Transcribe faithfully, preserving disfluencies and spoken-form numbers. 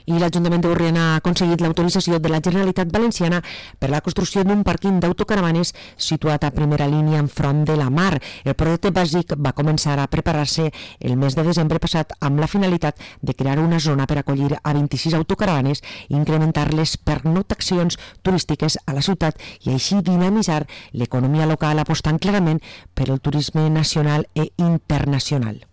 I l'Ajuntament de Borriana ha aconseguit l'autorització de la Generalitat Valenciana per la construcció d'un pàrquing d'autocaravanes situat a primera línia enfront de la mar. El projecte bàsic va començar a preparar-se el mes de desembre passat amb la finalitat de crear una zona per acollir a vint-i-sis autocaravanes i incrementar les pernoctacions turístiques a la ciutat i així dinamitzar l'economia local apostant clarament per el turisme nacional i internacional.